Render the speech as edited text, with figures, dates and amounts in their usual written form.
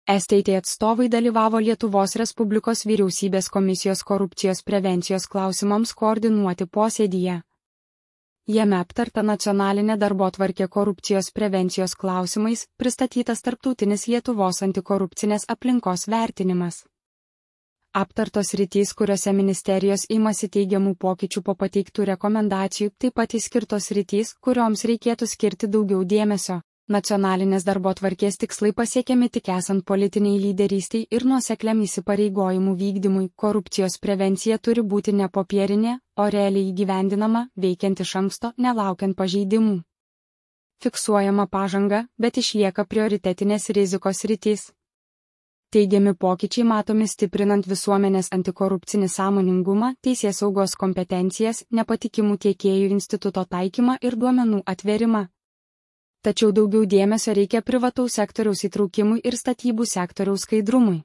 STT atstovai dalyvavo Lietuvos Respublikos vyriausybės komisijos korupcijos prevencijos klausimams koordinuoti posėdyje. Jame aptarta nacionalinė darbotvarkė korupcijos prevencijos klausimais, pristatytas tarptautinis Lietuvos antikorupcinės aplinkos vertinimas. Aptartos sritys, kuriuose ministerijos imasi teigiamų pokyčių po pateiktų rekomendacijų, taip pat įskirtos sritys, kurioms reikėtų skirti daugiau dėmesio. Nacionalinės darbotvarkės tikslai pasiekiami tik esant politiniai lyderystiai ir nuosekliam įsipareigojimų vykdymui. Korupcijos prevencija turi būti ne popierinė, o realiai įgyvendinama, veikiant iš anksto, nelaukiant pažeidimų. Fiksuojama pažanga, bet išlieka prioritetinės rizikos sritys. Teigiami pokyčiai matomi stiprinant visuomenės antikorupcinį sąmoningumą, teisėsaugos kompetencijas, nepatikimų tiekėjų instituto taikymą ir duomenų atvėrimą. Tačiau daugiau dėmesio reikia privataus sektoriaus įtraukimui ir statybų sektoriaus skaidrumui.